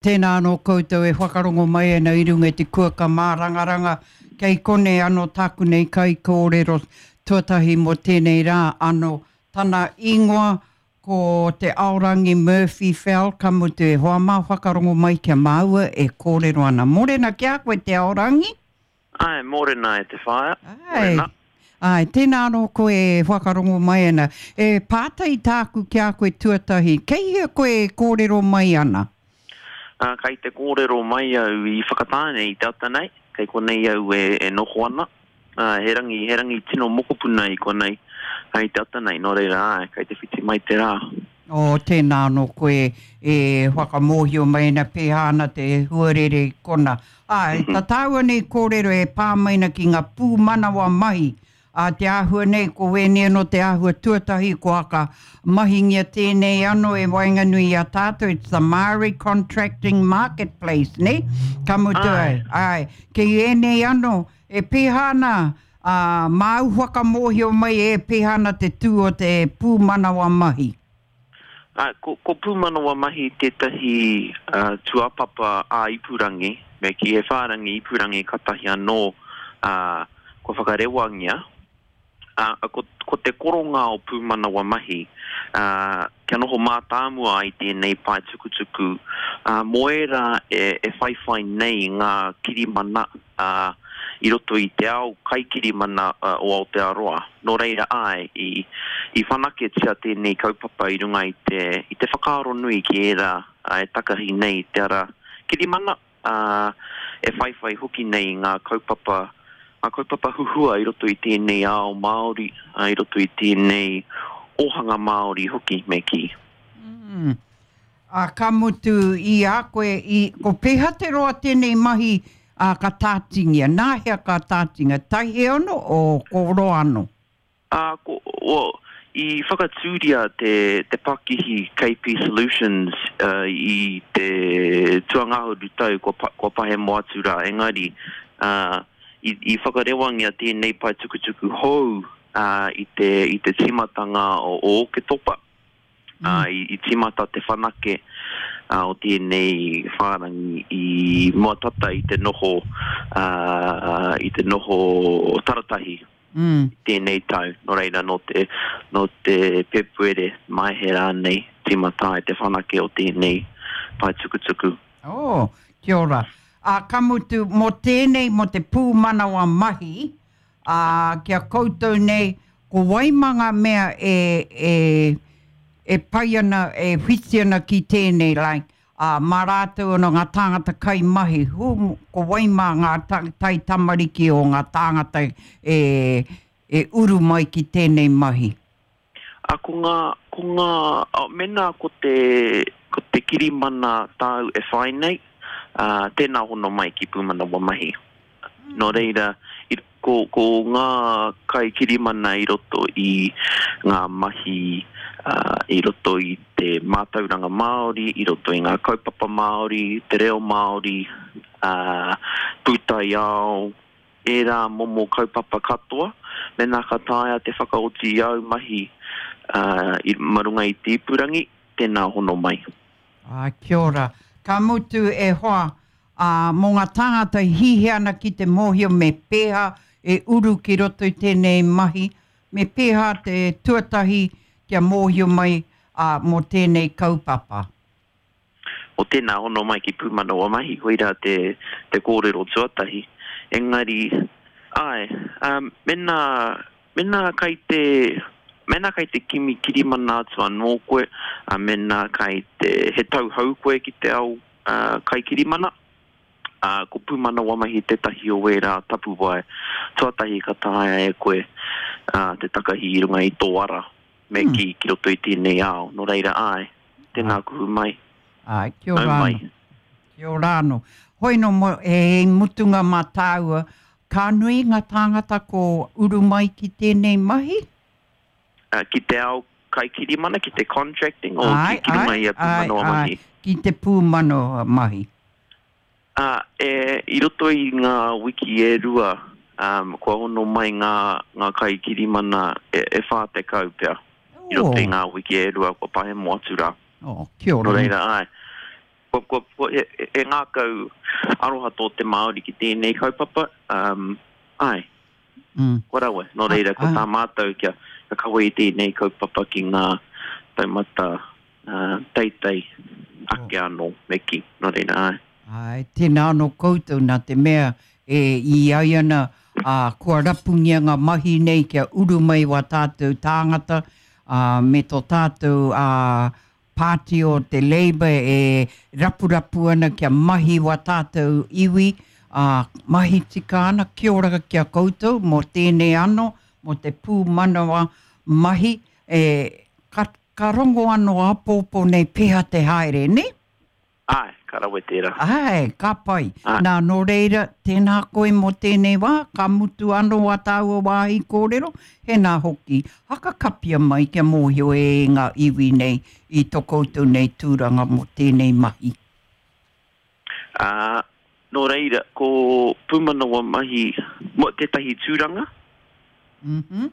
Tēnā anō koutou e whakarongo mai ana i runga i te kuaka mārangaranga, kei konei anō tāku nei kaikōrero tuatahi mō tēnei rā anō. Tana ingoa ko Te Aorangi Murphy Fell, ka mutu e hoa mā whakarongo mai kia māua e kōrero ana. Mōrena ki a koe Te Aorangi! Āe, mōrena e te whaea. Āe. Mōrena. Āe, tēnā anō koe e whakarongo mai ana. E pātai tāku ki a koe tuatahi, kei hea koe e kōrero mai ana? Ā, kei te kōrero mai au i Whakatāne i te ata nei, kei konei au e, e noho ana. Ā, he rangi, he rangi tino mokopuna i konei, i te ata nei, nō reira, āe, kei te whiti mai te rā. Oh, tēnā anō koe e whakamōhio mai ana pēhā ana te huarere i kona. Āe, tā tāua nei kōrero e pā mai ana ki ngā pūmanawa mahi, ā, te āhua nei, ko wēnei anō te āhua tuatahi kua aka mahingia tēnei anō e waenganui i a tātou, it's the Māori Contracting Marketplace, nē? Ka mutu ai, āe, kei ēnei anō, e pēhā ana, Ā, māu whakamōhio mai e pēhea ana te tū o te pūmanawa mahi. Ā, ko, ko pūmanawa mahi tētahi tūāpapa ā-ipurangi, me kī, he whārangi ipurangi katahi anō, ā, kua whakarewangia. Ā, ko, ko te koronga o pūmanawa mahi, ā, kia noho mātāmua ai tēnei pae tukutuku, ā, mō ērā e, e whaiwhai nei ngā kirimana, ā, i roto i te ao kaikirimana o Aotearoa. Nō reira, āe, i, i whanaketia tēnei kaupapa i runga i te, i te whakaaro nui ki ērā e takahi nei i te ara kirimana, ā, e whaiwhai hoki nei i ngā kaupapa, ngā kaupapa huhua i roto i tēnei ao Māori, ā, i roto i tēnei ōhanga Māori hoki, me kī. Mm. Ā, ka mutu i a koe, i, ko pēhea te roa tēnei mahi, ā, ka tātingia? Nā hea ka tātinga? Taiheono o ko roa anō? Ā, ko, well, i whakatūria te, te pakihi KP Solutions uh, i te tuangahuru tau kua, kua pahemo atu rā, engari, uh, i, i whakarewangia tēnei pae tukutuku hou uh, i te, i te tīmatanga o, o Oketopa. Ā, i tīmata te whanake o tēnei whārangi i mua tata i te noho, ā, i te noho taratahi i tēnei tau. Nō reira, nō te, nō te Pēpuere, Maehe rānei, tīmata ai te whanake o tēnei pae tukutuku. Oh, kia ora. Ā, ka mutu, mō tēnei, mō te pūmanawa mahi, ā, ki a koutou nei, ko wai mā ngā mea e, e, e pai ana, e whiti ana ki tēnei, like, ā, mā rātou anō ngā tāngata kaimahi, who, ko wai mā ngā ta, taitamariki o ngā tāngata e, e uru mai ki tēnei mahi? Ā, ko ngā, ko ngā, ā, mēnā ko te, ko te kirimana tāu e whai nei, ā, tēnā hono mai ki Pūmanawa Mahi. Nō reira, i, ko, ko ngā kaikirimana i roto i ngā mahi, ā, i roto i te mātauranga Māori, i roto i ngā kaupapa Māori, te reo Māori, ā, pūtaiao, ērā momo kaupapa katoa, mēnā ka taea te whakaoti i āu mahi i ma runga i te ipurangi, tēnā hono mai. Ā, kia ora. Ka mutu e hoa, ā, mō ngā tāngata e hihia ana ki te mōhio me pēhā e uru ki roto i tēnei mahi, me pēhā te tuatahi kia mōhio mai, ā, mō tēnei kaupapa. O tēnā hono mai ki Pūmanawa Mahi, koirā te, te kōrero tuatahi. Engari, āe, um, mēnā, mēnā kai te, mēnā kai te kimi kirimana atu anō koe, ā, mēnā kai te, he tauhou koe ki te ao uh, kaikirimana, ā, ko Pūmanawa Mahi tētahi o ērā tapuwae tuatahi ka taea e koe ā, te takahi i runga i tō ara, me kī, ki roto i tēnei ao. Nō reira, āe, Tēnā kuhu mai. Āe, kia ora anō. Kia ora anō. Hoi nō, mo, he mutunga mā tāua, ka nui ngā tāngata ko uru mai ki tēnei mahi? Uh, ki te ao kaikirimana, ki te contracting, o ki, ki runga i a pūmanawa mahi? Āe, ki te pūmanawa mahi. Ā, e, i roto i ngā wiki e rua, um, kua hono mai ngā, ngā kaikirimana e, e 40 pea. I roto i ngā wiki e rua kua pahemo atu rā. Oh, kia ora. Nō reira, āe. Kua, kua, kua, he, he ngākau aroha tō te Māori ki tēnei kaupapa, um, āe, mm. kua rawe. Nō reira, ko tā mātou kia, kia kawe i tēnei kaupapa ki ngā taumata uh, teitei ake anō, me kī. Nō reira, āe. Āe, tēnā anō koutou nā te mea e i ai ana, ā, kua rapungia ngā mahi nei kia uru mai wā tātou tāngata, ā, me tō tātou, ā, Pāti o te Labour e rapurapu ana kia mahi wā tātou iwi, ā, mahi tika ana, kia ora ki a koutou mō tēnei anō, mō te pūmanawa mahi, e, ka, ka rongo anō āpōpō nei pēhea te haere, nē? Āe, ka rawe tērā. Āe, ka pai. Āe. Nā, nō reira, tēnā koe mō tēnei wā, ka mutu anō ā tāua wāhi kōrero, hēnā hoki, hakakapia mai kia mōhio e ngā iwi nei i tō koutou nei tūranga mō tēnei mahi. Ā, nō reira, ko Pūmanawa Mahi mō tētahi tūranga. Mm-hmm.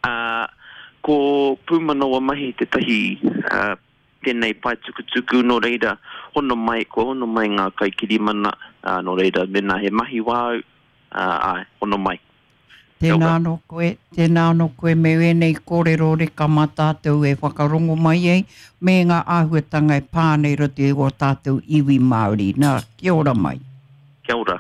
Ā, ko Pūmanawa Mahi tētahi, ā, tēnei pae tukutuku, nō reira, hono mai, kua hono mai ngā kaikirimana, ā, nō reira, mēnā he mahi wāu, ā, āe, hono mai. Kia Tēnā ora. anō koe, tēnā anō koe me ēnei kōrero reka mā tātou e whakarongo mai ai, me ngā āhuatanga e pā ana i roto i ō tātou iwi Māori. Nā, kia ora mai. Kia ora.